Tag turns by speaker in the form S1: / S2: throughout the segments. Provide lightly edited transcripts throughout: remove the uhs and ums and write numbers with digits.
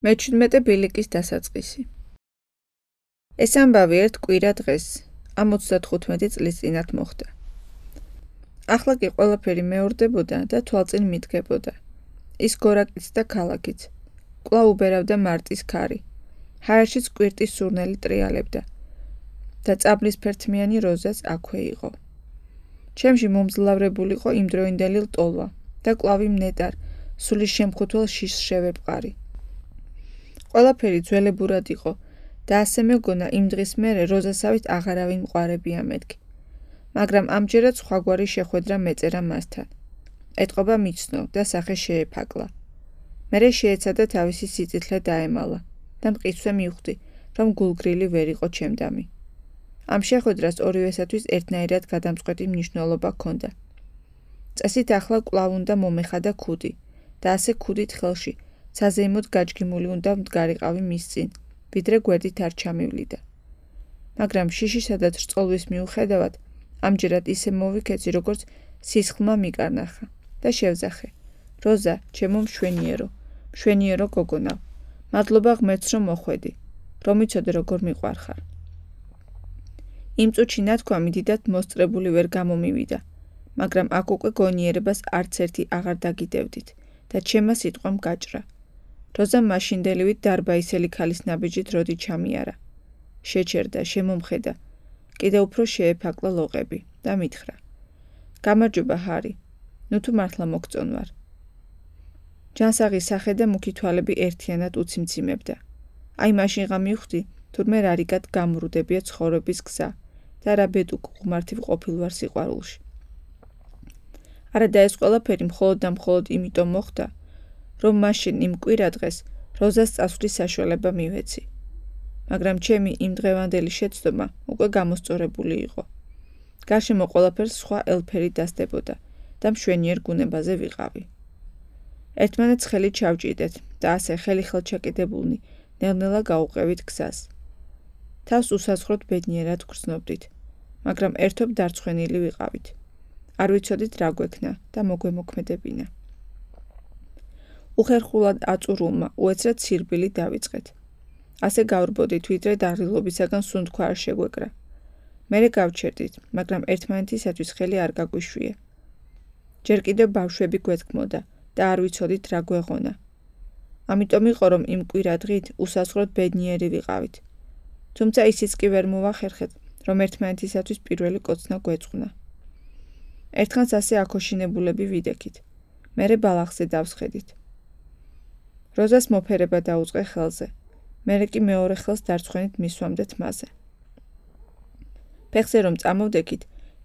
S1: მე-17 ბილიკის დასაწყისი. ეს ამბავი ერთ კვირა დღეს, ამ 35 წლის წინათ მოხდა. ახლა კი ყველაფერი მეორდებოდა და თვალწინ მიდგებოდა. ის გორაკიც და ქალაქიც. კვლავ უბერავდა მარტის ქარი. ჰაერშიც კვირტის სურნელი ტრიალებდა. და წაბლისფერთმიანი როზაც აქვე იყო. ჩემში მომძლავრებულიყო იმდროინდელი ლტოლვა და კვლავ იმ ნეტარ, სულის შემხუთველ შიშს შევეპყარი. ყველაფერი ძველებურად იყო და ასე მეგონა იმ დღის მერე როზასავით აღარავინ მყარებია მეთქი. მაგრამ ამჯერად სხვაგვარი შეხვედრა მეწერა მასთან. ეტყობა მიცნო და სახე შეეფაკლა. მერე შეეცადა თავისი სიწითლე დაემალა და მყისვე მივხვდი, რომ გულგრილი ვერ იყო ჩემდამი. ამ შეხვედრას ორივესათვის ერთნაირად გადამწყვეტი მნიშვნელობა ჰქონდა. წესით ახლა კვლავ უნდა მომეხადა ქუდი და ასე ქუდით ხელში საზეიმოდ გაჯგიმული უნდა მდგარიყავი მის წინ, ვიდრე გვერდით არ ჩამივლიდა. მაგრამ შიშისა და ჭრწოლვის მიუხედავად, ამჯერად ისე მოვიქეცი, როგორც სისხლმა მიკარნახა და შევძახე. როზა, ჩემო მშვენიერო გოგონა, მადლობა ღმერთს, რომ მოხვედი, რომ იცოდე როგორ მიყვარხარ. იმ წუთში ნათქვამი დიდად მოსწრებული ვერ გამომივიდა, მაგრამ აქ უკვე გონიერებას არც ერთი აღარ დაგიდევდით და ჩემმა სიტყვამ გაჭრა. როზა მაშინდელივით დარბაისელი ქალის ნაბიჯით როდი ჩამიარა. შეჩერდა, შემომხედა, კიდევ უფრო შეეფაკლა ლოყები და მითხრა. გამარჯობა, ჰარი, ნუ თუ მართლა მოგწონვარ. ჯანსაღი სახე და მუქი თვალები ერთიანად უციმციმებდა. აი მაშინღა მივხვდი, თურმე რარიგად გამრუდებია ცხოვრების გზა და რა ბედუკ ღმართი ყოფილვარ სიყვარულში. არა და ეს ყველაფერი მხოლოდ და მხოლოდ იმიტომ მოხდა, რომ მაშინ იმ კვირა დღეს როზას წასვლის საშუალება მივეცი. მაგრამ ჩემი იმ დღევანდელი შეცდომა უკვე გამოსწორებული იყო. გარშემო ყველაფერს სხვა ელფერი დასდებოდა და მშვენიერ გუნებაზე ვიყავი. ერთმანეთს ხელი ჩავჭიდეთ და ასე ხელი-ხელ ჩაკიდებულნი ნელ-ნელა გაუყევით გზას. თავს უსაზღვროდ ბედნიერად გრძნობდით, მაგრამ ერთობ დარცხვენილი ვიყავით. არ ვიცოდით რა გვექნა და მოგვემოქმედებინა. უხერხულად აწურულმა უეცრად სირბილი დავიწყეთ. ასე გავრბოდით, ვიდრე დაღილობისაგან სუნთქვა არ შეგვეკრა. მერე გავჩერდით, მაგრამ ერთმანეთისათვის ხელი არ გაგვიშვია. ჯერ კიდევ ბავშვები გვეთქმოდა და არ ვიცოდით რა გვეღონა. ამიტომ იყო, რომ იმ კვირა დღით უსაზღვროდ ბედნიერი ვიყავით. თუმცა ისიც კი ვერ მოვახერხეთ, რომ ერთმანეთისათვის პირველი კოცნა გვეწყნა. ერთხანს ასე აქოშინებულები ვიდექით. მერე ბალახზე დავსხედით. როზას მოფერება დაუწყე ხელზე. მერე კი მეორე ხელს დარცხვენით მისვამდეთ მასზე. ფეხზე რომ წამოვდექით,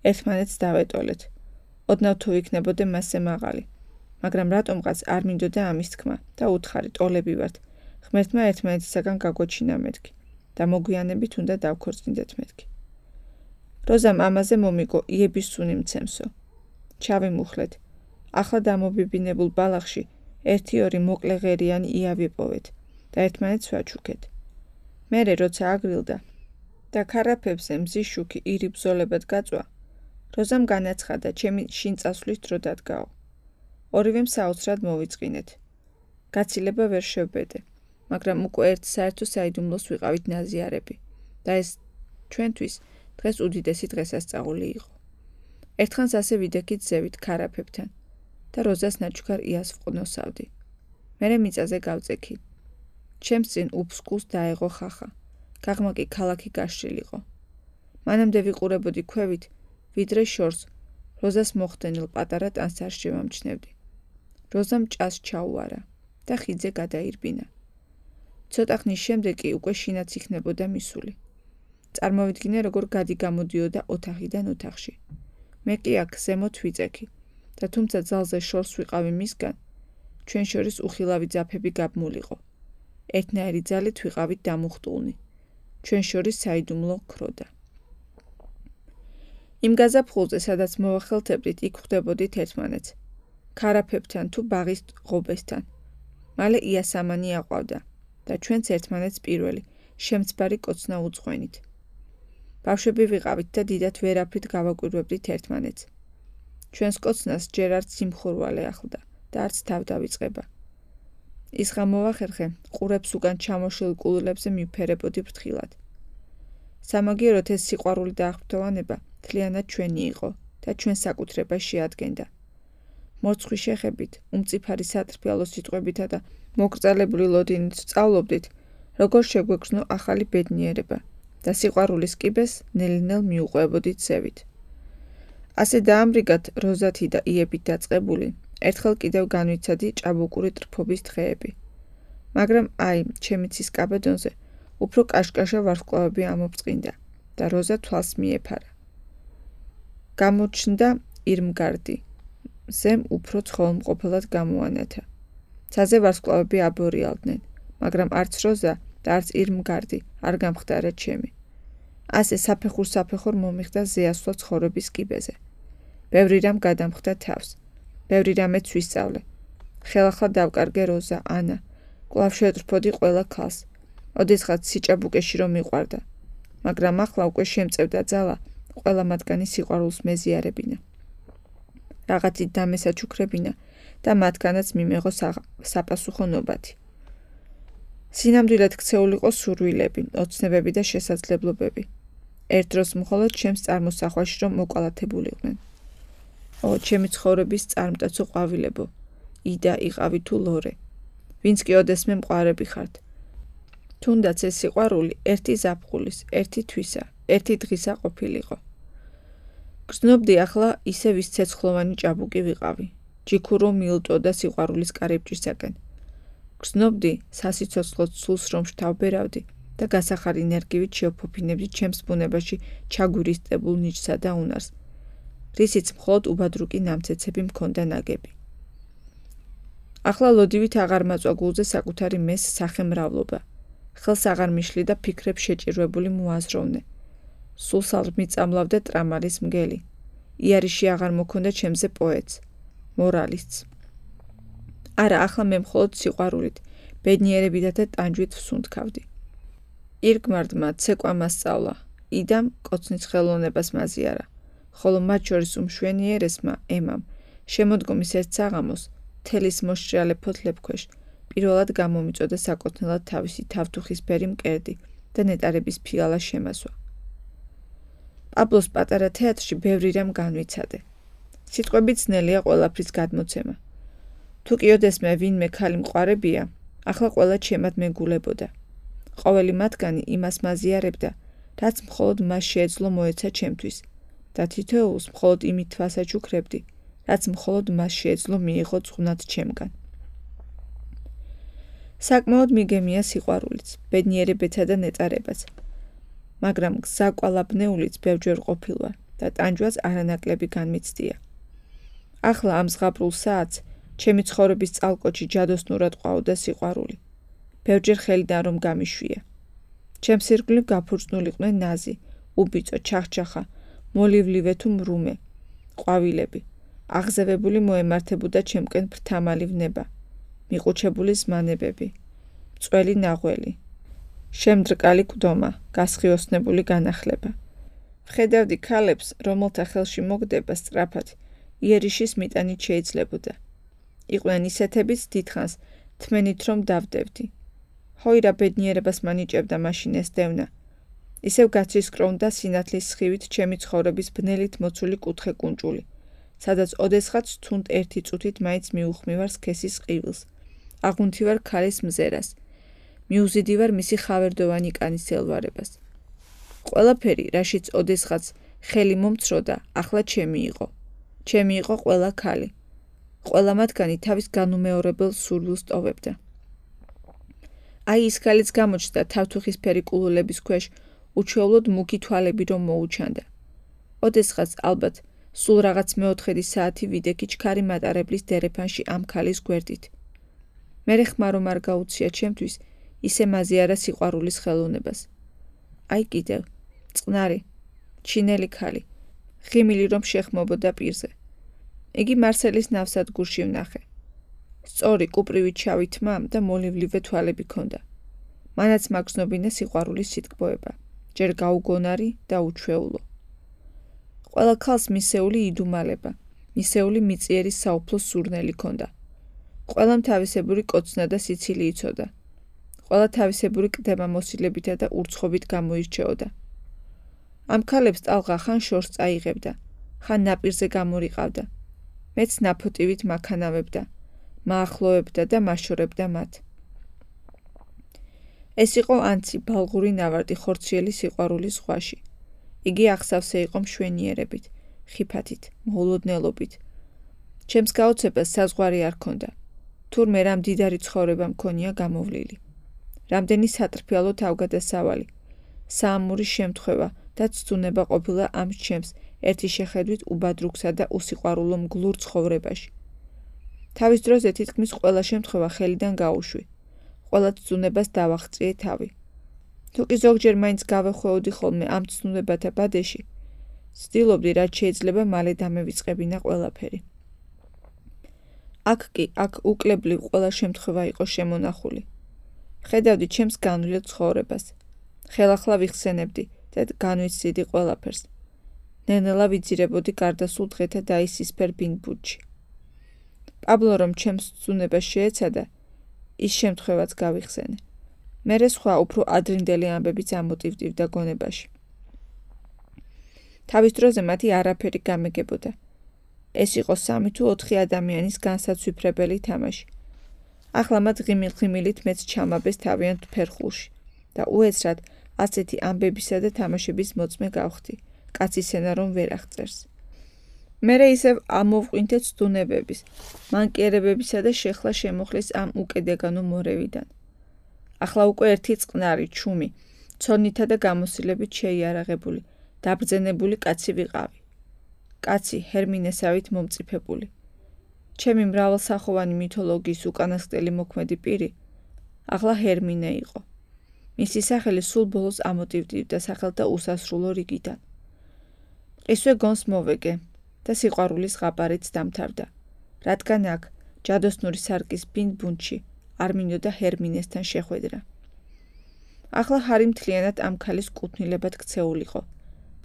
S1: ერთმანეთს დავეტოლეთ. ოდნავ თუ იქნებოდე მასზე მაღალი. მაგრამ რატომღაც არ მინდოდა ამის თქმა და უთხარი ტოლები ვართ. ღმერთმა ერთმანეთისაგან გაგვეჩინა მეთქი და მოგვიანებით უნდა დავქორწინდეთ მეთქი. როზამ ამაზე მომიგო იების სუნი მცემსო. ჩავიმუხლეთ. ახლა დამობიბინებულ ბალახში ერთი-ორი მოკლე ღერიანი იავი პოვეთ და ერთმანეთს ვაჩუქეთ. მერე როცა აგრილდა და ქარაფებზე მზის შუქი ირი ბრძოლებად გაწვა, როზამ განაცხადა ჩემი შინ წასვლის დრო დადგაო. ორივემ საოცრად მოვიწყინეთ. გაცილება ვერ შევბედე, მაგრამ უკვე ერთ საერთო საიდუმლოს ვიყავით ნაზიარები და ეს ჩვენთვის დღეს უდიდესი დღესასწაული იყო. ერთხანს ასე ვიდექით ზევით ქარაფებთან და როზას ნაჩუქარ იას ვყნოსავდი. მერე მიწაზე გავწექი. ჩემს წინ უფსკუს დაეღო ხახა. გაღმა კი ქალაქი გაშლილიყო. მანამდე ვიყურებოდი ქვევით, ვიდრე შორს როზას მოხდენილ პატარა ტანსარს შევამჩნევდი. როზამ ჭას ჩაუარა და ხიდზე გადაირბინა. ცოტა ხნის შემდეგ კი უკვე შინაც იქნებოდა მისული. წარმოვიდგინე, როგორ გადი-გამოდიოდა ოთახიდან ოთახში. მე კი აქ ზემოთ ვიწექი და თუმცა ძალზე შორს ვიყავი მისგან, ჩვენ შორის უხილავი ძაფები გაბმულიყო. ერთნაირი ძალით ვიყავით დამუხტულნი. ჩვენ შორის საიდუმლო ქროდა. იმ გაზაფხულზე, სადაც მოვახელთებდით, იქ ხვდებოდით ერთმანეთს. ქარაფებთან თუ ბაღის ღობესთან. მალე იასამანი აყვავდა და ჩვენც ერთმანეთს პირველი, შემცბარი კოცნა უძღვენით. ბავშვები ვიყავით და დიდად ვერაფრით გავაკვირვებდით ერთმანეთს. ჩვენს კოცნას ჯერ არც სიმხურვალე ახლდა და არც თავდავიწყება. ის გამოვახერხე, ყურებს უკან ჩამოშლილ კულელებზე მივფერებოდი ფრთხილად. სამაგიეროდ ეს სიყვარული და აღფრთოვანება მთლიანად ჩვენი იყო და ჩვენ საკუთრებას შეადგენდა. მორცხვი შეხებით, უმწიფარი სატრფიალო სიტყვებითა და მოკრძალებული ლოდინით სწავლობდით, როგორ შეგვეგრძნო ახალი ბედნიერება და სიყვარულის კიბეს ნელ-ნელ მიუყვებოდით ზევით. ასე დაამრიგად როზათი და იებით დაწყებული, ერთხელ კიდევ განვიცადი ჭაბუკური ტრფობის დღეები. მაგრამ აი, ჩემი ცის კაბედონზე უფრო კაშკაშა ვარსკვლავები ამობწყინდა და როზა თვალს მიეფარა. გამოჩნდა ირმგარდი, ზემ უფრო ცხოველმყოფელად გამოანათა. ცაზე ვარსკვლავები აბორიალდნენ, მაგრამ არც როზა და არც ირმგარდი არ გამხდარა ჩემი. ასე საფეხურ მომიხდა ზეასვლა ცხოვრების კიბეზე. ბევრი რამ გადამხდა თავს, ბევრი რამეც ვისწავლე. ხელახლა დავკარგე როზა, ანა, კვლავ შევტრფოდი ყველა ქალს. ოდესღაც სიჭაბუკეში რომ მიყვარდა, მაგრამ ახლა უკვე შემწევდა ძალა ყველა მათგანი სიყვარულს მეზიარებინა. რაღაცით დამესაჩუქრებინა და მათგანაც მიმეღო საპასუხო ნობათი. სინამდვილედ ქცეულ იყო სურვილები, ოცნებები და შესაძლებლობები. ერთ დროს მხოლოდ ჩემს წარმოსახვაში რომ მოკალათებულიყვნენ. ჩემი ცხოვრების წარმტაცო ყვავილებო, იდა იყავი თუ ლორე, ვინც კი ოდესმე მყარები ხართ. თუნდაც ეს სიყვარული ერთი ზაფხულის, ერთი თვისა, ერთი დღისა ყოფილიყო. გრძნობდი ახლა ისე ვის ცეცხლოვანი ჭაბუკი ვიყავი, ჯიქურო მილტოდა სიყვარულის კარიბჭისაკენ. გრძნობდი სასიცოცხლოდ სულს რომ შთავბერავდი და გასახარ ენერგივით შევფოფინებდი ჩემს ბუნებაში ჩაგვირისტებულ ნიჭსა და უნარს, რისიც მხოლოდ უბადრუკი ნამცეცები მქონდა ნაგები. ახლა ლოდივით აღარ მაწვა გულზე საკუთარი მეს სახემრავლობა. ხელს აღარ მიშლი და ფიქრებს შეჭირვებული მოაზროვნე. სულს არ მიწამლავდა ტრამალის მგელი. იარიში აღარ მოქონდა ჩემზე პოეტს, მორალისტს. არა, ახლა მე მხოლოდ სიყვარულით, ბედნიერებითა და ტანჯვით ვსუნთქავდი. ირგმარდმა ცეკვა მასწავლა, იდამ კოცნის ხელოვნებას მაზიარა, ხოლო მათ შორის უმშვენიერესმა ემამ, შემოდგომის ერთ საღამოს, თელის მოშრიალე ფოთლებქვეშ, პირველად გამომიწოდა საკუთნელად თავისი თავთუხისფერი მკერდი და ნეტარების ფიალა შემასვა. პაბლოს პატარა თეატრში ბევრი რამ განვიცადე. სიტყვებით ძნელია ყველაფრის გადმოცემა. თუ კი ოდესმე ვინმე ქალი მყარებია, ახლა ყველა ჩემად მეგულებოდა. ყოველი მათგანი იმას მაზიარებდა, რაც მხოლოდ მას შეეძლო მოეცა ჩემთვის და თითოეულს მხოლოდ იმით თვალსაჩუქრებდი, რაც მხოლოდ მას შეეძლო მიიღო წვნად ჩემგან. საკმაოდ მიგემია სიყვარულიც, ბედნიერებეთა და ნეტარებაც, მაგრამ გზა კვალაბნეულიც ბევრჯერ ყოფილვარ და ტანჯვაც არანაკლები განმიცდია. ახლა ამ ზღაპრულ საათს ჩემი ცხოვრების წალკოჩი ჯადოსნურად ყვაოდა სიყვარული. ბევრჯერ ხელიდან რომ გამიშვია. ჩემს ირგვლივ გაფურწნულიყვნენ ნაზი, უბიწო, ჩახჩახა, მოლივლივე თუ მრუმე, ყვავილები. აღზევებული მოემართებოდა ჩემკენ ფრთამალი ვნება, მიყუჩებული ზმანებები, მწველი ნაღველი, შემდრკალი კვდომა, გასხიოსნებული განახლება. ვხედავდი ქალებს, რომელთა ხელში მოგდება სწრაფად, იერიში მიტანით შეიძლებოდა. იყვნენ ისეთებიც დიდხანს თმენით რომ დავდებდი. ჰოირა ბედნიერებას მანიჭებდა მაშინ ეს დევნა. ისევ გაცისკრონდა სინათლის სხივით ჩემი ცხოვრების ბნელით მოცული კუთხე კუნჭული, სადაც ოდესღაც თუნდ ერთი წუთით მაინც მიუხმივარ სქესის ყივილს, აღუნთივარ ქალის მზერას, მიუზიდივარ მისი ხავერდოვანი კანის ელვარებას. ყველაფერი, რაშიც ოდესღაც ხელი მომცროდა, ახლა ჩემი იყო. ჩემი იყო ყველა ქალი. ყველა მათგანი თავის განუმეორებელ სურვილს ტოვებდა. აი ის ქალიც გამოჩნდა თავთუხისფერი კულულების ქვეშ, უჩვეულოდ მუქი თვალები რომ მოუჩანდა. ოდესღაც ალბათ სულ რაღაც მეოთხედი საათი ვიდექი ჩქარი მატარებლის დერეფანში ამ ქალის გვერდით. მერე ხმა რომ არ გაუცია ჩემთვის, ისე მაზიარა სიყვარულის ხელოვნებას. აი კიდევ, წყნარი, ჩინელი ქალი, ღიმილი რომ შეხმობოდა პირზე. იგი მარსელის ნავსადგურში ვნახე. სწორი კუპრივით შავი თმა და მოლივლივე თვალები ქონდა. მანაც მაგზნობინა სიყვარულის სიტკბოება, ჯერ გაუგონარი და უჩვეულო. ყველა ქალს მისეული იდუმალება, მისეული მიწიერი საუფლო სურნელი ქონდა. ყველამ თავისებური კოცნა და სიცილი იცოდა. ყველა თავისებური კდება მოსილებითა და ურცხობით გამოირჩეოდა. ამ ქალებს ტალღა ხან შორს წაიღებდა, ხან ნაპირზე გამორიყავდა. მეც ნაფოტივით მაქანავებდა, მაახლოებდა და მაშორებდა მათ. ეს იყო ანცი ბალღური ნავარდი ხორციელი სიყვარულის ზღვაში. იგი აღსავსე იყო მშვენიერებით, ხიფათით, მოულოდნელობით. ჩემს გაოცებას საზღვარი არ ქონდა. თურმე რა მდიდარი ცხოვრება მქონია გამოვლილი. რამდენი სატრფიალო თავგადასავალი, საამური შემთხვევა და ცდუნება ყოფილა ამ ჩემს ერთი შეხედვით უბადრუგსა და უსიყვარულო მგლურ ცხოვრებაში. თავის დროზე თითქმის ყველა შემთხვევა ხელიდან გაუშვი. ყველა ცდუნებას დავაღწიე თავი. თუ კი ზოგჯერ მაინც გავეხვეოდი ხოლმე ამ ცდუნებათა ბადეში, ვცდილობდი რაც შეიძლება მალე დამევიწყებინა ყველაფერი. აქ უკლებლივ ყველა შემთხვევა იყო შემონახული. ხედავდი ჩემს განვლილ ცხოვრებას. ხელახლა ვიხსენებდი და განვიცდიდი ყველაფერს. ნელ-ნელა ვიძირებოდი გარდასულ დღეთა დაისისფერ ბინბუდში. პაბლო რომ ჩემს ცდუნებას შეეცადა, ის შემთხვევაც გავიხსენე. მერე სხვა უფრო ადრინდელი ამბებიც ამოტივტივდა გონებაში. თავის დროზე მათი არაფერი გამეგებოდა. ეს იყო 3 თუ 4 ადამიანის განსაცვიფრებელი თამაში. ახლა მათ ღიმილ-ღიმილით მეც ჩამაბეს თავიანთ ფერხულში და უეცრად ასეთი ამბებისა და თამაშების მოწმე გავხდი, კაცის ენა რომ ვერ აღწერს. მერე ისევ ამოვყვინთე ცდუნებების, მანკიერებებისა და შეხლა შემოხლის ამ უკედეგანო მორევიდან. ახლა უკვე ერთი წყნარი, ჩუმი, ცოდნითა და გამოსილებით შეიარაღებული, დაბრძენებული კაცი ვიყავი. კაცი ჰერმინესავით მომწიფებული. ჩემი მრავალსახოვანი მითოლოგიის უკანასკნელი მოქმედი პირი, ახლა ჰერმინე იყო. მისი სახელი სულ ბოლოს ამოტივტივდა სახელთა უსასრულო რიგიდან. ისვე გონს მოვეგე და სიყვარულის ღაბარიც დამთავრდა, რადგან აქ, ჯადოსნური სარკის ბინბუნჩი, არ მინდოდა ჰერმინესთან შეხვედრა. ახლა ჰარი მთლიანად ამ ქალის კუთვნილებად ქცეულიყო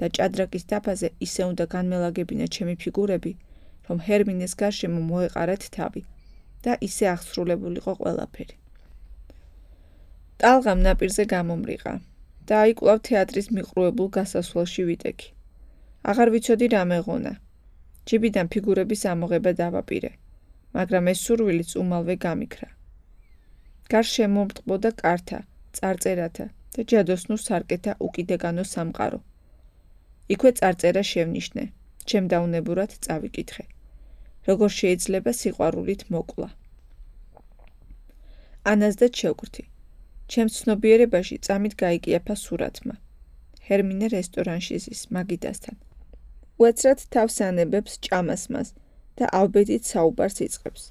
S1: და ჭადრაკის დაფაზე ისე უნდა განმელაგებინა ჩემი ფიგურები, რომ ჰერმინეს გარშემო მოეყარეთ თავი და ისე აღსრულებულიყო ყველაფერი. ტალღამ ნაპირზე გამომრიყა და აი კვლავ თეატრის მიყრუებულ გასასვლელში ვიტექი. აღარ ვიცოდი რა მეღონა. ჯიბიდან ფიგურების ამოღება დავაპირე, მაგრამ ეს სურვილიც უმალვე გამიქრა. გარს შემომტყბოდა კართა, წარწერათა და ჯადოსნურ სარკეთა უკიდეგანო სამყარო. იქვე წარწერა შევნიშნე, ჩემ დაუნებურად წავიკითხე. როგორ შეიძლება სიყვარულით მოკლა. ანას და შევკრთი. ჩემს ცნობიერებაში წამით გაიკიაფა სურათმა. ჰერმინე რესტორანში ზის მაგიდასთან. უეცრად თავს ანებებს ჭამასმას და ავბედით საუბარს იწყებს.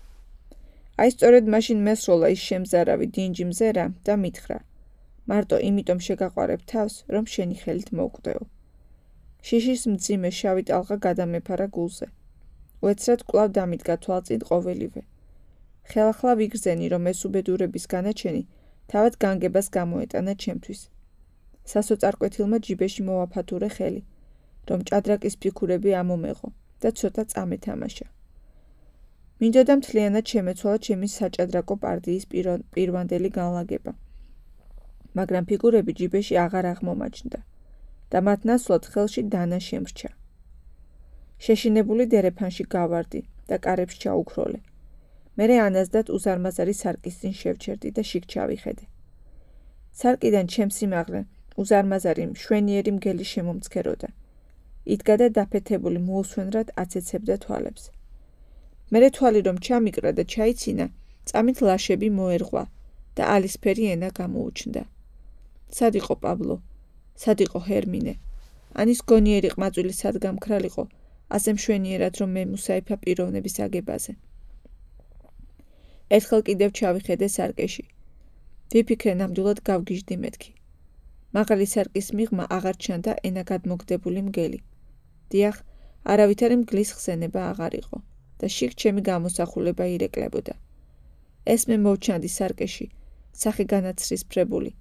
S1: აი სწორედ მაშინ მესროლა ის შემზარავი დინჯი მზერა და მითხრა. მარტო იმიტომ შეგაყვარებ თავს, რომ შენი ხელით მოვკვდეო. შიშის მძიმე შავი ტალღა გადამეფარა გულზე. უეცრად კვლავ დამიდგა თვალწინ ყოველივე. ხელახლა ვიგრძენი, რომ ეს უბედურების განაჩენი თავად განგებას გამოეტანა ჩემთვის. სასოწარკვეთილმა ჯიბეში მოვაფათურე ხელი, რომ ჭადრაკის ფიქურები ამომეღო და ცოტა წამეთამაშა. მინდოდა მთლიანად შემეცვალა ჩემი საჭადრაკო პარტიის პირვანდელი განლაგება. მაგრამ ფიგურები ჯიბეში აღარ აღმომაჩნდა და მათ ნაცვლად ხელში დანა შემრჩა. შეშინებული დერეფანში გავარდი და კარებს ჩაუქროლე. მერე ანაზდათ უზარმაზარი სარკის წინ შევჩერდი და შიგ ჩავიხედე. სარკიდან ჩემს სიმაღლე უზარმაზარი მშვენიერი მგელი შემომცქეროდა. იდგა და დაფეთებული მოუსვენრად აცეცებდა თვალებს. მერე თვალი რომ ჩამიკრა და ჩაიცინა, წამით ლაშები მოერღვა და ალისფერი ენა გამოუჩნდა. სად იყო პაბლო? სად იყო ჰერმინე? ანის გონიერი ყმაწვილი სად გამქრალიყო, ასე მშვენიერად რომ მე მუსაიფა პიროვნების აგებაზე. ერთხელ კიდევ ჩავიხედე სარკეში. ვიფიქრე ნამდვილად გავგიჟდი მეთქი. მაღალი სარკის მიღმა აღარ ჩანდა ენა გადმოგდებული მგელი. დიახ, არავითარი მგლის ხსენება აღარ იყო და შიგ ჩემი გამოსახულება ირეკლებოდა. ეს მე მოვჩანდი სარკეში, სახე განაცრისფრებული,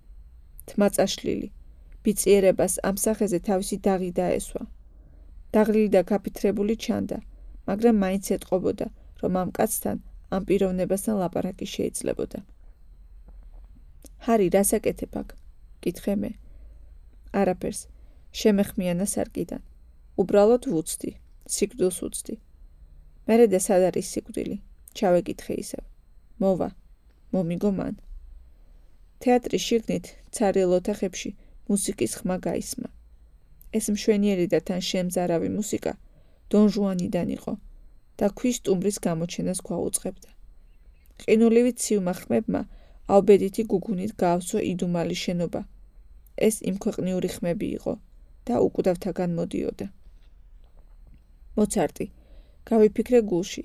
S1: თმა წაშლილი, ბიწიერებას ამ სახეზე თავისი დაღი დაესვა. დაღლილი და გაფითრებული ჩანდა, მაგრამ მაინც ეტყობოდა, რომ ამ კაცთან ამ პიროვნებასთან ლაპარაკი შეიძლებოდა. ჰარი, რას აკეთებ აქ? კითხე მე. არაფერს. შემეხმიანა სარკიდან. უბრალოდ ვუცდი, სიკვდილს უცდი. მერე და სად არის სიკვდილი? ჩავეკითხე ისევ. მოვა, მომიგო მან. თეატრის შიგნით, ცარიელ ოთახებში მუსიკის ხმა გაისმა. ეს მშვენიერი და თან შემზარავი მუსიკა დონ ჟუანიდან იყო და ქვის სტუმრის გამოჩენას გვაუწყებდა. ყინულივი ცივმა ხმებმა ალბედითი გუგუნით გაავსო იდუმალი შენობა. ეს იმქვეყნიური ხმები იყო და უკვდავთაგან მოდიოდა. მოცარტი, გავიფიქრე გულში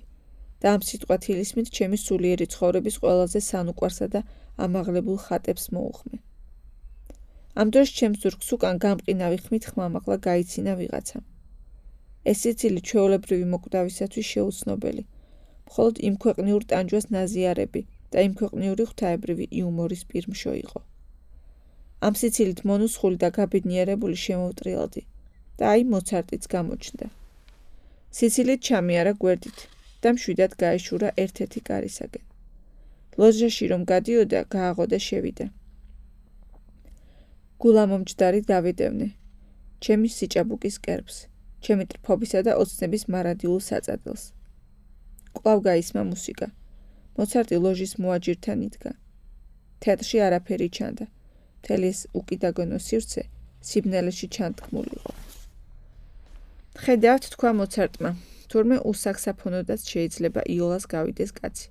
S1: და ამ სიტყვათ ილისმით ჩემი სულიერი ცხოვრების ყველაზე სანუკვარსა და ამაღლებულ ხატებს მოუხმე. ამ დროს ჩემს ზურგს უკან გამყინავი ხმით ხმამაღლა გაიცინა ვიღაცამ. ეს სიცილი ჩვეულებრივი მოკვდავისათვის შეუცნობელი, მხოლოდ იმქვეყნიურ ტანჯვას ნაზიარები და იმქვეყნიური ღვთაებრივი იუმორის პირმშო იყო. ამ სიცილით მონუსხული და გაბედნიერებული შემოვტრიალდი და აი მოცარტიც გამოჩნდა. სიცილით ჩამიარა გვერდით და მშვიდად გაეშურა ერთ-ერთი კარისაგან. ლოჟაში რომ გადიოდა, გააღო და შევიდა. გულამომჯდარი დავიდევნე, ჩემი სიჭაბუკის კერბს, ჩემი ტრფობისა და ოცნების მარადიულ საწადელს. კვლავ გაისმა მუსიკა. მოცარტი ლოჟის მოაჯირთან იდგა. თეატრში არაფერი ჩანდა. მთელი ეს უკიდაგონო სივრცე სიბნელეში ჩანთქმულიყო. ხედავთ, თქვა მოცარტმა, თურმე უსაქსაფონოდაც შეიძლება იოლას გავიდეს კაცი.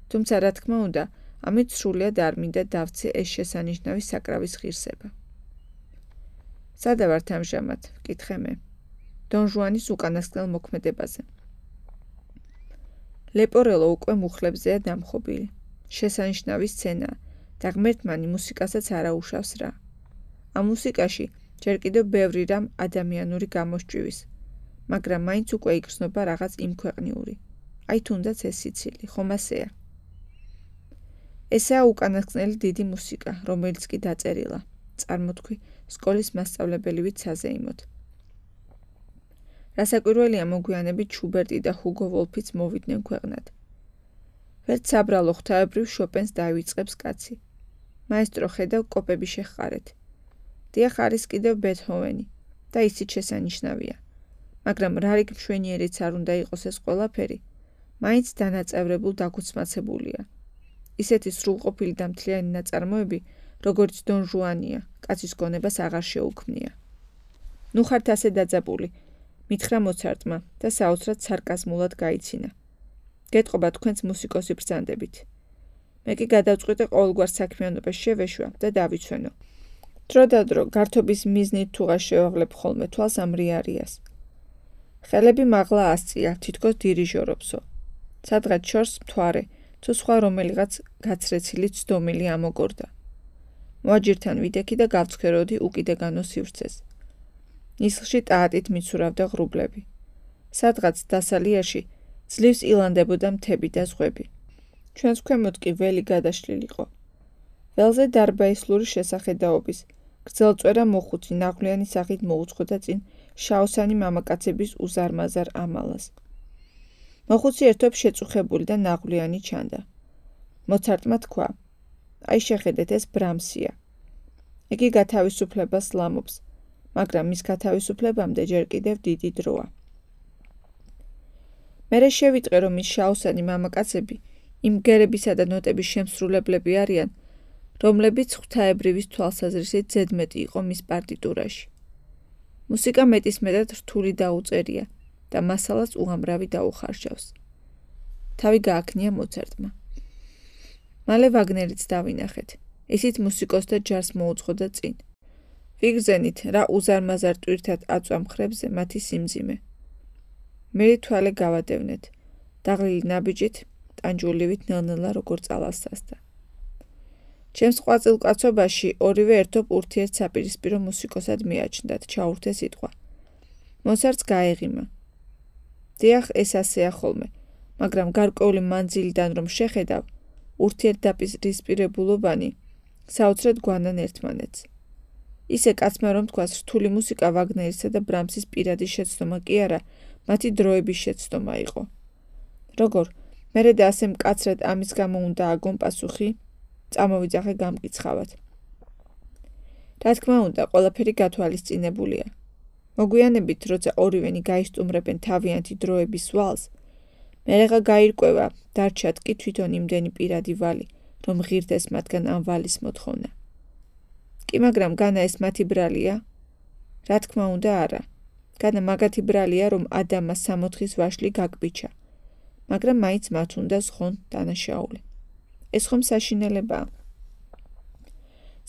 S1: თუმცა რა თქმა უნდა, ამით სრულიად არ მინდა დავცე ეს შესანიშნავი საკრავის ღირსება. სადა ვართ ამჟამად, ვკითხე მე. დონ ჟუანის უკანასკნელ მოქმედებაზე. ლეპორელო უკვე მუხლებზეა დამხობილი. შესანიშნავი სცენაა და ღმერთმანი მუსიკასაც არაუშავს რა. ამ მუსიკაში ჯერ კიდევ ბევრი რამ ადამიანური გამოსჭივის, მაგრამ მაინც უკვე იგრძნობა რაღაც იმქვეყნიური. აი თუნდაც ეს სიცილი, ხომ ასეა? ესაა უკანასკნელი დიდი მუსიკა, რომელიც კი დაწერილა, წარმოთქვი, სკოლის მასწავლებელივით საზეიმოდ. რასაკვირველია მოგვიანებით შუბერტი და ჰუგო ვოლფიც მოვიდნენ ქვეყნად. ვერც საბრალო ღვთაებრივ შოპენს დაივიწყებს კაცი. მაესტრო ხედავ კოპები შეხყარეთ. დიახ არის კიდევ ბეთჰოვენი და ისიც შესანიშნავია. მაგრამ რა რიგ მშვენიერიც არ უნდა იყოს ეს ყველაფერი, მაინც დანაწევრებულ დაგუცმაცებულია. ისეთი სრულყოფილი და მთლიანი ნაწარმოები, როგორც დონ ჟუანია, კაცის გონებას აღარ შეუქმნია. ნუ ხართ ასე დაძაბული, მითხრა მოცარტმა და საოცრად სარკაზმულად გაიცინა. გეტყობა თქვენს მუსიკოსი ბრძანდებით. მე კი გადავწყვიტე ყოველგვარ საქმიანობას შევეშვა და დავიცვენო. დრო და დრო გართობის მიზნით თუღას შევავლებ ხოლმე თვალს ამ რიარიას. ხელები მაღლა ასწია, თითქოს დირიჟორობსო. სადღაც შორს მთვარე, თუ სხვა რომელიღაც გაცრეცილი ცდომილი ამოგორდა. მოაჯირთან ვიდექი და გავცქეროდი უკიდაგანო სივრცეს. ნისლში ტაატით მიცურავდა ღრუბლები. სადღაც დასალიაში ძლივს ილანდებოდა მთები და ზღვები. ჩვენს ქვემოთ კი ველი გადაშლილიყო. ველზე დარბაისლური შესახედაობის, გრძელწვერა მოხუცი ნაღვლიანი სახით მოუწყოდა წინ შაოსანი მამაკაცების უზარმაზარ ამალას. მოხუცი ერთობ შეწუხებული და ნაღვლიანი ჩანდა. მოცარტმა თქვა, აი შეხედეთ, ეს ბრამსია. იგი გათავისუფლებას ლამობს, მაგრამ მის გათავისუფლებამდე ჯერ კიდევ დიდი დროა. მერე შევიტყე, რომ ის შაოსანი მამაკაცები იმ გერებისა და ნოტების შემსრულებლები არიან, რომლებიც ღვთაებრივის თვალსაზრისით ზედმეტი იყო მის პარტიტურაში. მუსიკა მეტისმეტად რთული დაუწერია და მასალას უამრავი დაუხარშავს. თავი გააქნია მოცარტმა. მალე ვაგნერიც დავინახეთ. ისიც მუსიკოსთა ჯარს მოუძღოდა წინ. ვიგრძენით, რა უზარმაზარ ტვირთად აწვა მხრებზე მათი სიმძიმე. მერი თვალე გავადევნეთ. დაღლილი ნაბიჯით, ტანჯულივით ნელ-ნელა როგორ წალასასდა. ჩემს ყვაწილ კაცობაში ორივე ერთობ ურთიერთსაპირისპირო მუსიკოსად მიაჩნდათ, ჩაურთე სიტყვა. მოცარტს გაეღიმა. დიახ, ეს ასეა ხოლმე, მაგრამ გარკვეული მანძილიდან რომ შეხედავ, ურთიერთდაპირისპირებულობანი საოცრად გვანან ერთმანეთს. ისე კაცმა რომ თქვას, რთული მუსიკა ვაგნერისა და ბრამსის პირადი შეცდომა კი არა, მათი დროების შეცდომა იყო. როგორ? მერე და ასე მკაცრად ამის გამო უნდა აგონ პასუხი, წამოვიძახე გამკიცხავად. რა თქმა უნდა, ყველაფერი გათვალისწინებულია. მოგვიანებით, როცა ორივენი გაისტუმრებენ თავიანთი დროების ვალს, მერეღა გაირკვევა, დარჩათ კი თვითონ იმდენი პირადი ვალი, რომ ღირდეს მათგან ამ ვალის მოთხოვნა. კი მაგრამ განა ეს მათი ბრალია? რა თქმა უნდა არა. განა მაგათი ბრალია, რომ ადამა 60 ვაშლი გაგბიჩა, მაგრამ მაინც მათ უნდა ზღონ დანაშაული. ეს ხომ საშინელებაა?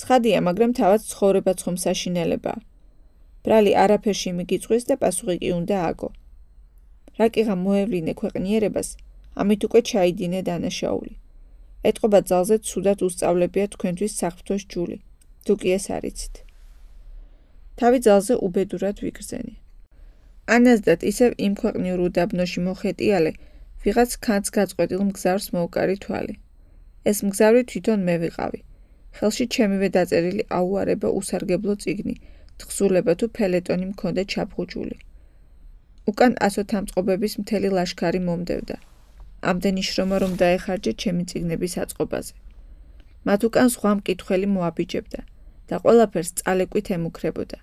S1: ცხადია, მაგრამ თავად ცხოვრებაც ხომ საშინელებაა. ბრალი არაფერში მიგიწვეს და პასუხი კი უნდა აგო. რაკიღა მოევლინე ქვეყნიერებას, ამით უკვე ჩაიდინე დანაშაული. ეტყობა ძალზე ცუდად უსწავლებია თქვენთვის საფრთხოს ჯული. თუ კი ეს არიცით. თავი ძალზე უბედურად ვიგრძენი. ანაზდათ ისევ იმ ქვეყნიურ უდაბნოში მოხეტიალე, ვიღაც ქანს გაწყვეტილ მგზავრს მოუკარი თვალი. ეს მგზავრი თვითონ მე ვიყავი. ხელში ჩემივე დაწერილი აუარება უსარგებლო წიგნი, თხზულება თუ ფელეტონი მქონდა ჩაფხუჭული. უკან 100 თამწყობების მთელი ლაშქარი მომდევდა. ამდენი შრომა რომ დაეხარჯე ჩემი წიგნების აწყობაზე. მათ უკან სხვა მკითხველი მოაბიჯებდა და ყველაფერს წალეკვით ემუქრებოდა.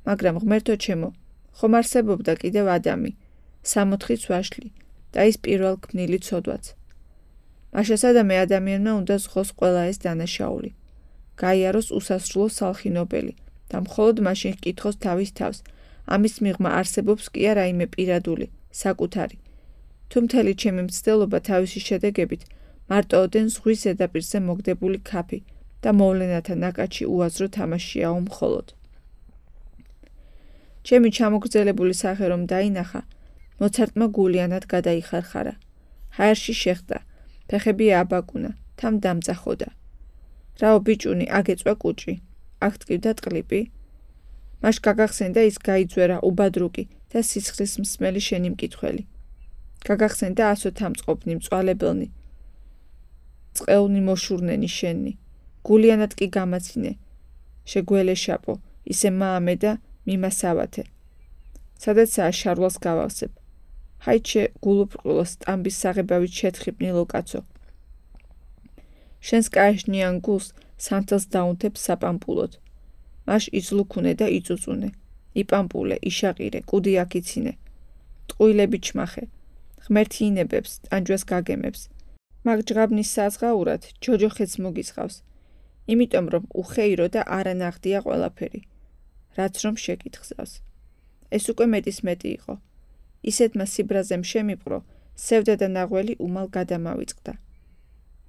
S1: მაგრამ ღმერთო ჩემო, ხომ არსებობდა კიდევ ადამი, 60 ვაშლი და ის პირველ ქმნილი ცოდვაც. მაშასადამე ადამიანმა უნდა ზღოს ყველა ეს დანაშაული. გაიაროს უსასრულო სალხინობელი და მხოლოდ მაშინ ჰკითხოს თავის თავს, ამის მიღმა არსებობს კი არა რაიმე პირადული, საკუთარი. თუ მთელი ჩემი მცდელობა თავისი შედეგებით მარტოოდენ ზღვის ზედაპირზე მოგდებული ქაფი და მოვლენათა ნაკადში უაზრო თამაშიაო მხოლოდ. ჩემი ჩამოგრძელებული სახე რომ დაინახა, მოცარტმა გულიანად გადაიხარხარა. ჰაერში შეხდა, ფეხები ააბაკუნა, თან დამწახოდა. რაო ბიჭუნი, აგეწვა კუჭი, აქ ტკივდა ტყლიპი. მაშ გაგახსენდა ის გაიძვერა უბადრუკი და სისხლის მსმელი შენი მკითხველი. გაგახსენდა 100 თამწყობნი მწვალებელნი, წყეულნი მოშურნენი შენი. გულიანად კი გამაცინე, შეგველეშაპო, ისე მაამე და მიმასავათე. სადაცაა შარვალს გავავსებ. ჰაიჩე გულუბრყვილოს სტამბის საღებავით შეთხიბნილო კაცო. შენს კაეშნიან გულს სანთელს დაუნთებ საპამპულოდ. მაშ იზლუქუნე და იწუწუნე. იპამპულე, იშაყირე, კუდი აქიცინე. ტყუილები ჩმახე. ღმერთი ინებებს, ტანჯვას გაგემებს. მაგ ჯღაბნის საზღაურად ჯოჯოხეთს მოგიწყავს. იმიტომ რომ უხეირო და არანახდია ყველაფერი. რაც რომ შეკითხავს. ეს უკვე მეტის მეტი იყო. ისეთმა სიბრაზემ შემიპყრო, სევდა და ნაღველი უმალ გადამავიწყდა.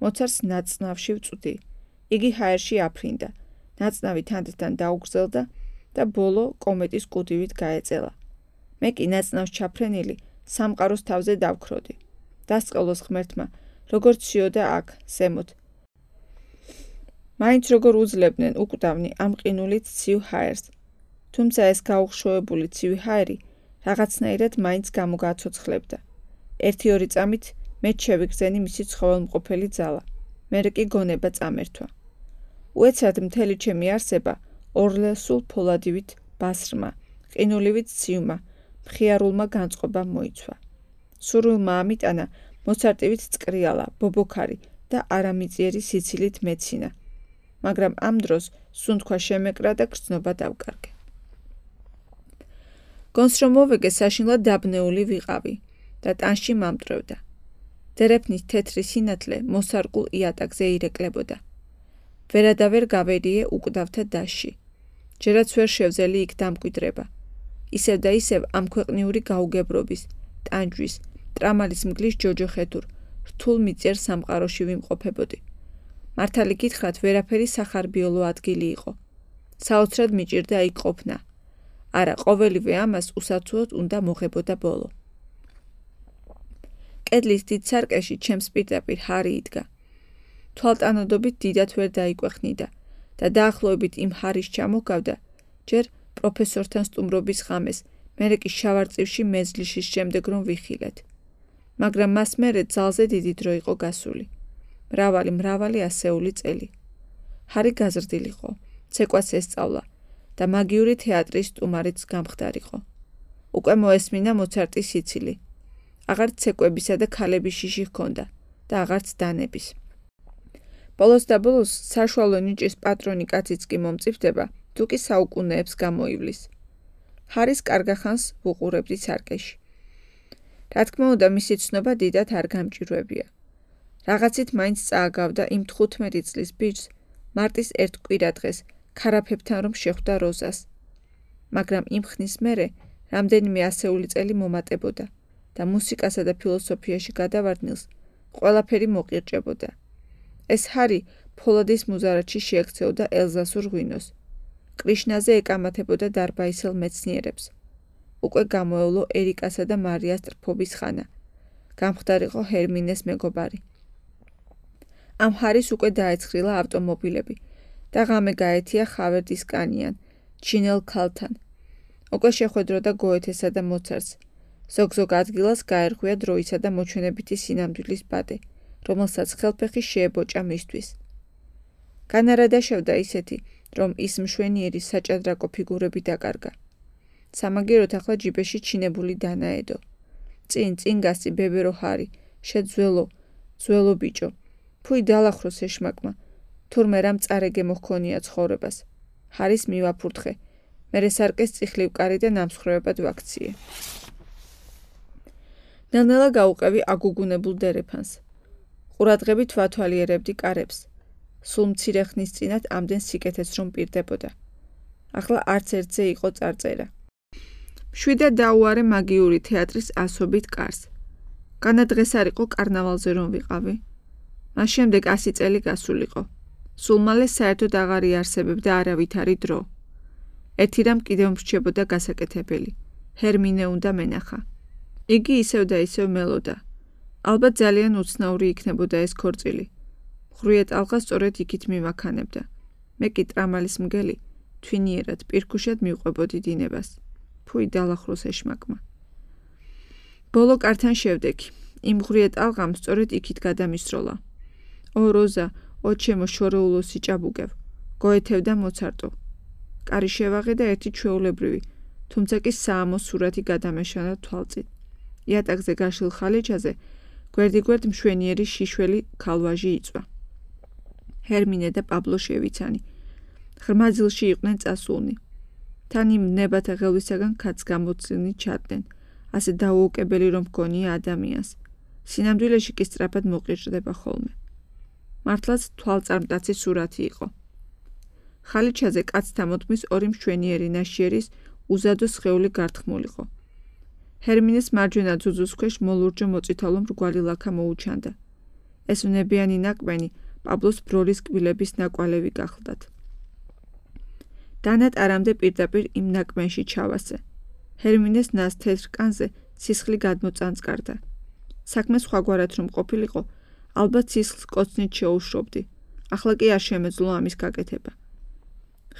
S1: მოცარტს ნაცნავში ვწვდი. იგი ჰაერში აფრინდა. ნაცნავი თანდათან დაუგრძელდა და ბოლო კომეტის კუდივით გაეწელა. მე კი ნაცნავს ჩაფრენილი სამყაროს თავზე დავქროდი. დასწყელოს ღმერთმა, როგორ ციოდა აქ, ზემოთ. მაინც როგორ უძლებდნენ უკვდავნი ამ ყინულით ცივ ჰაერს. თუმცა ეს გაუხშოვებული ცივი ჰაერი რაღაცნაირად მაინც გამოგაცოცხლებდა. 1-2 წამით მეც შევიგრძენი მისი ცხოველმყოფელი ძალა. მერე კი გონება წამერთვა. უეცრად მთელი ჩემი არსება ორლესულ ფოლადივით ბასრმა, ყინულივით ცივმა, მხიარულმა განწყობამ მოიცვა. სურვილმა ამიტანა მოცარტივით წკრიალა, ბობოქარი და არამიწიერი სიცილით მეცინა. მაგრამ ამ დროს სუნთქვა შემეკრა და გრძნობა დავკარგე. გონს რომ მოვეგე საშინლად დაბნეული ვიყავი და ტანში მამტვრევდა. დერეფნის თეთრი სინათლე მოსარკულ იატაკზე ირეკლებოდა. ვერადავერ გავერიე უკვდავთა დასში. ჯერაც ვერ შევძელი იქ დამკვიდრება. ისევ და ისევ ამ ქვეყნიური გაუგებრობის, ტანჯვის, ტრამალის მგლის ჯოჯოხეთურ, რთულ მიწერ სამყაროში ვიმყოფებოდი. მართალი გითხრათ, ვერაფერი სახარბიოლო ადგილი იყო. საოცრად მიჭირდა იქ ყოფნა. არა, ყოველივე ამას უსაცუოდ უნდა მოღებოდა ბოლო. კედლის დიდ სარკეში ჩემს პირდაპირ ჰარი იდგა. თვალტანადობით დიდად ვერ დაიკვეხნიდა და დაახლოებით იმ ჰარის ჩამოგავდა, ჯერ პროფესორთან სტუმრობის ღამეს, მერე კი შავარწივში მეზლიში შემდეგ რომ ვიხილეთ. მაგრამ მას მერე ძალზე დიდი დრო იყო გასული. მრავალი ასეული წელი. ჰარი გაზრდილიყო, ცეკვას ესწავლა და მაგიური თეატრის სტუმარიც გამხდარიყო. უკვე მოესმინა მოცარტის სიცილი. აღარც ცეკვებისა და ქალების შიში ჰქონდა და აღარც დანების. ბოლოს და ბოლოს საშუალო ნიჭის პატრონი კაციც კი მომწიფდება, თუ კი საუკუნეებს გამოივლის. ჰარის კარგახანს ვუყურებდი სარკეში. რა თქმა უნდა, მისი ცნობა დიდად არ გამჭირვებია. რაღაცით მაინც წააგავდა იმ 15 წლის ბიჭს მარტის ერთ კვირადღეს ქარაფებთან რომ შეხვდა როზას. მაგრამ იმ ხნის მერე რამდენიმე ასეული წელი მომატებოდა და მუსიკასა და ფილოსოფიაში გადავარდნილს ყველაფერი მოყირჭებოდა. ეს ჰარი ფოლადის მუზარადში შეექცეოდა ელზასურ ღვინოს. კრიშნაზე ეკამათებოდა დარბაისელ მეცნიერებს. უკვე გამოევლო ერიკასა და მარიას ტრფობის ხანა. გამხდარიყო ჰერმინეს მეგობარი. ამ ჰარის უკვე დაეცხრილა ავტომობილები და ღამე გაეთია ხავერდის კანიან, ჩინელ ქალთან. უკვე შეხვედროდა გოეთესა და მოცარტს. ზოგ-ზოგ ადგილას გაერღვია დროისა და მოჩვენებითი სინამდვილის ბადე, რომელსაც ხელფეხი შეებოჭა მისთვის. განარადაშევდა ისეთი, რომ ის მშვენიერი საჭადრაკო ფიგურები დაკარგა. სამაგიეროდ ახლა ჯიბეში ჩინებული დანაედო. წინ გასწი ბებერო ჰარი, შეძველო ბიჭო. ფუი დალახროს ეშმაკმა, თურმე რამ წარეგე მოჰქონია ცხოვრებას. ჰარის მივაფურთხე, მერე სარკეს წიხლივ კარი და ნამსხვრევებად ვაქციე. ნელ-ნელა გაუყევი აგუგუნებულ დერეფანს. ყურადღებით ვათვალიერებდი კარებს. სულ მცირე ხნის წინათ ამდენ სიკეთეს რომ პირდებოდა. ახლა არც ერთზე იყო წარწერა. მშვიდად დაუარე მაგიური თეატრის ასობით კარს. განა დღეს არ იყო კარნავალზე რომ ვიყავი. მას შემდეგ 100 წელი გასულიყო. სულ მალე საერთოდ აღარ იარსებებდა არავითარი დრო. ერთი რამ კიდევ მრჩებოდა გასაკეთებელი. ჰერმინე უნდა მენახა. იგი ისევ და ისევ მელოდა. ალბათ ძალიან უცნაური იქნებოდა ეს ქორწილი. ხრუიეთ ალღა სწორედ იქით მიმაქანებდა. მე კი ტრამალის მგელი, თვინიერად, პირქუშად მივყვებოდი დინებას. ფუი დალახროს ეშმაკმა. ბოლო კართან შევდექი. იმ ხრუიეთ ალღამ სწორედ იქით გადამისროლა. ო როზა, ო ჩემო შორეულო სიჭაბუკევ, გოეთევ და მოცარტო. კარი შევაღე და ერთი ჩვეულებრივი, თუმცა კი საამო სურათი გადამეშალა თვალწით. იატაკზე გაშლილ ხალიჩაზე გვერდიგვერდ მშვენიერი შიშველი ქალვაჟი იწვა. ჰერმინე და პაბლო შევიცანი. ღრმა ძილში იყვნენ წასულნი. თან იმ ნებათა ღელვისაგან კაც გამოცილნი ჩარდნენ, ასე დაუოკებელი რომ ჰგონია ადამიანს. სინამდვილეში კი სწრაფად მოყირჭდება ხოლმე. მართლაც თვალწარმტაცი სურათი იყო. ხალიჩაზე კაცთა მოთმის ორი მშვენიერი ნაშიერის უზადო სხეული გართხმულიყო. ჰერმინეს მარჯვენა ძუძუს ქვეშ მოლურჯო მოწითალო მრგვალი ლაქა მოუჩანდა. ეს ვნებიანი ნაკბენი პაბლოს ბროლის კბილების ნაკვალევი გახლდათ. დანათ არამდე პირდაპირ იმ ნაკბენში ჩავასე. ჰერმინეს ნას თეთრ კანზე ცისხლი გადმოწანწკარდა. საქმე სხვაგვარად რომ ყოფილიყო, ალბათ ცისხლს კოცნით შეუშრობდი. ახლა კი არ შემეძლო ამის გაკეთება.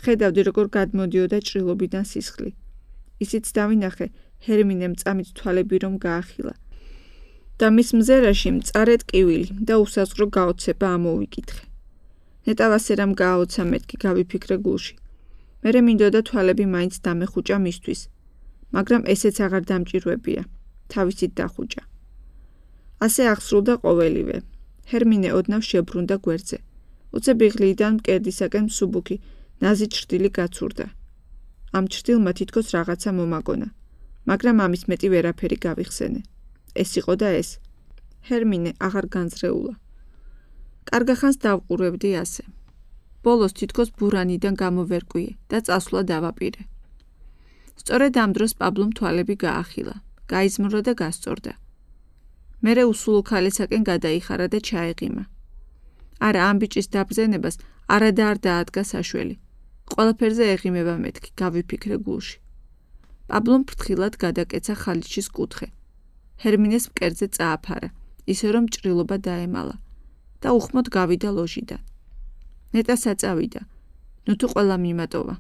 S1: ხედავდი როგორ გადმოდიოდა ჭრილობიდან სისხლი. ისიც დავინახე ჰერმინემ წამით თვალები რომ გაახილა. და მის მზერაში მწარედ კივილი და უსაზღრო გაოცება ამოვიკითხე. ნეტავასე რამ გააოცა მეთქი გავიფიქრე გულში. მერე მინდოდა თვალები მაინც დამეხუჭა მისთვის, მაგრამ ესეც აღარ დამჭირვებია, თავისით დახუჭა. ასე აღსრულდა ყოველივე. ჰერმინე ოდნავ შებრუნდა გვერდზე. უცებიღლიდან მკერდისაკენ მსუბუქი, ნაზი ჭრდილი გაცურდა. ამ ჭრდილმა თითქოს რაღაცა მომაგონა, მაგრამ ამის მეტი ვერაფერი გავიხსენე. ეს იყო და ეს. ჰერმინე აღარ განძრეულა. კარგახანს დავყურებდი ასე. ბოლოს თითქოს ბურანიდან გამოვერკვიე და წასვლა დავაპირე. სწორედ ამ დროს პაბლომ თვალები გაახილა, გაიზმრა და გასწორდა. მერე უსულო ქალისაკენ გადაიხარა და ჩაეღიმა. არა, ამ ბიჭის დაბრძენებას არადა არ დაადგა საშველი. ყველაფერზე ეღიმება მეთქი, გავიფიქრე გულში. პაბლომ ფრთხილად გადაკეცა ხალიჩის კუთხე. ჰერმინეს მკერდზე წააფარა, ისე რომ ჭრილობა დაემალა და უხმოდ გავიდა ლოჟიდან. ნეტა საწავიდა, ნუ თუ ყველა მიმატოვა.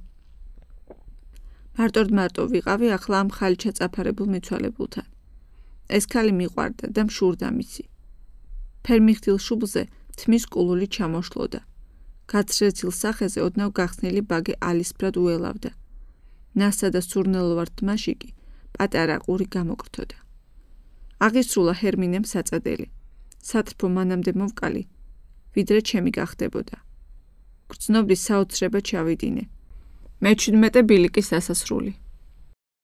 S1: მარტო ვიყავი ახლა ამ ხალიჩა წაფარებულ მიცვალებულთან. ეს ქალი მიყვარდა და მშურდა მისი. ფერმიხდილ შუბლზე თმის კულული ჩამოშლოდა. გაცრეცილ სახეზე ოდნავ გახსნილი ბაგე ალისფრად უელავდა. ნასა და სურნელოვარ თმაში კი პატარა ყური გამოკრთოდა. აღისრულა ჰერმინემ საწადელი. სათრფო მანამდე მოვკალი, ვიდრე ჩემი გახდებოდა. გრძნობის საოცრება ჩავიდინე. მე-17 ბილიკის დასასრული.